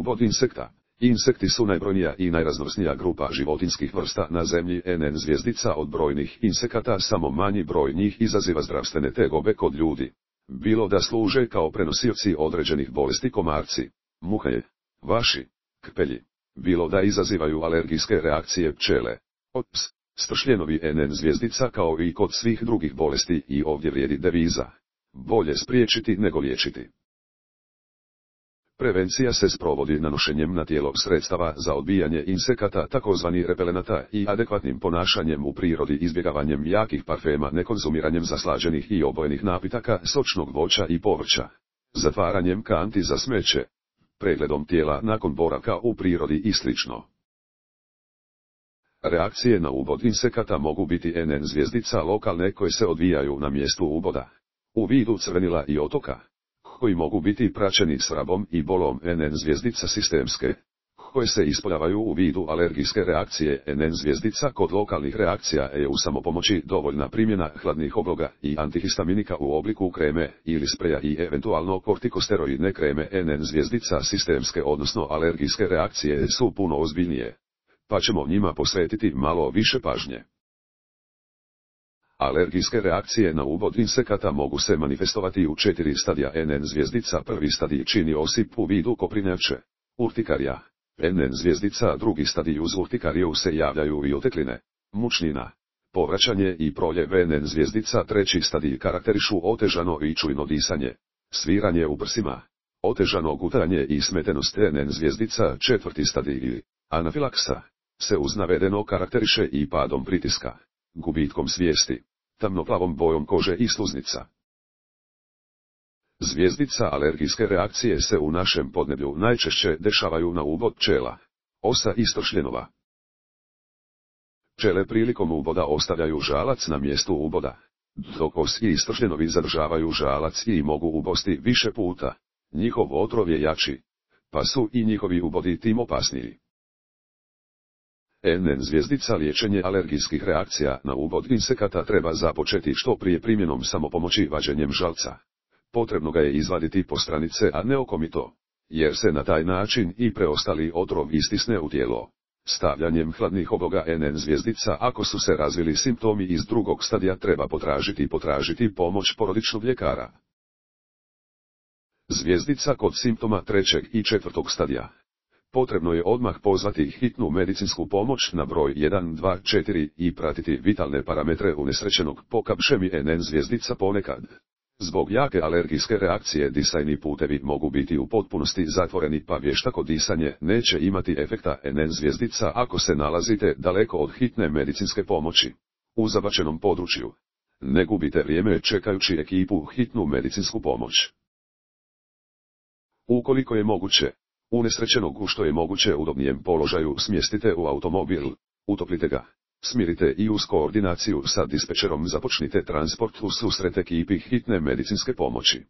ubod insekta. Insekti su najbrojnija i najraznovrsnija grupa životinjskih vrsta na zemlji. NN zvjezdica od brojnih insekata samo manji broj njih izaziva zdravstvene tegobe kod ljudi. Bilo da služe kao prenosioci određenih bolesti komarci, muhe, vaši, kpelji. Bilo da izazivaju alergijske reakcije pčele, ops, stršljenovi. NN zvjezdica kao i kod svih drugih bolesti i ovdje vrijedi deviza. Bolje spriječiti nego liječiti. Prevencija se sprovodi nanošenjem na tijelo sredstava za odbijanje insekata takozvani repelenata i adekvatnim ponašanjem u prirodi, izbjegavanjem jakih parfema, nekonzumiranjem zaslađenih i obojenih napitaka, sočnog voća i povrća, zatvaranjem kanti za smeće, pregledom tijela nakon boravka u prirodi i sl. Reakcije na ubod insekata mogu biti NN zvjezdica lokalne koje se odvijaju na mjestu uboda, u vidu crvenila i otoka, koji mogu biti praćeni svrabom i bolom. NN zvjezdica sistemske, koje se ispoljavaju u vidu alergijske reakcije. NN zvjezdica kod lokalnih reakcija je u samopomoći dovoljna primjena hladnih obloga i antihistaminika u obliku kreme ili spreja i eventualno kortikosteroidne kreme. NN zvjezdica sistemske odnosno alergijske reakcije su puno ozbiljnije, pa ćemo njima posvetiti malo više pažnje. Alergijske reakcije na ubod insekata mogu se manifestovati u 4 stadija. NN zvjezdica prvi stadij čini osip u vidu koprinjače, urtikarija. NN zvjezdica drugi stadij uz urtikariju se javljaju i otekline, mučnina, povraćanje i proljev. NN zvjezdica treći stadij karakterišu otežano i čujno disanje, sviranje u prsima, otežano gutanje i smetenost. NN zvjezdica četvrti stadij ili anafilaksa se uz navedeno karakteriše i padom pritiska, gubitkom svijesti, tamnoplavom bojom kože i sluznica. Zvjezdica alergijske reakcije se u našem podneblju najčešće dešavaju na ubod pčela, osa i stršljenova. Pčele prilikom uboda ostavljaju žalac na mjestu uboda, dok osi i stršljenovi zadržavaju žalac i mogu ubosti više puta. Njihov otrov je jači, pa su i njihovi ubodi tim opasniji. NN zvjezdica liječenje alergijskih reakcija na ubod insekata treba započeti što prije primjenom samopomoći vađenjem žalca. Potrebno ga je izvaditi po stranice, a ne okomito, jer se na taj način i preostali otrov istisne u tijelo. Stavljanjem hladnih obloga NN zvjezdica ako su se razvili simptomi iz drugog stadija treba potražiti pomoć porodičnog ljekara. Zvjezdica kod simptoma trećeg i četvrtog stadija. Potrebno je odmah pozvati hitnu medicinsku pomoć na broj 124 i pratiti vitalne parametre unesrećenog po kapšemi. NN zvjezdica ponekad, zbog jake alergijske reakcije, disajni putevi mogu biti u potpunosti zatvoreni, pa vještako disanje neće imati efekta. NN zvjezdica ako se nalazite daleko od hitne medicinske pomoći, u zabačenom području, ne gubite vrijeme čekajući ekipu hitnu medicinsku pomoć. Ukoliko je moguće, unesrećenog u što je moguće udobnijem položaju smjestite u automobil, utoplite ga, smirite i uz koordinaciju sa dispečerom započnite transport u susret ekipi hitne medicinske pomoći.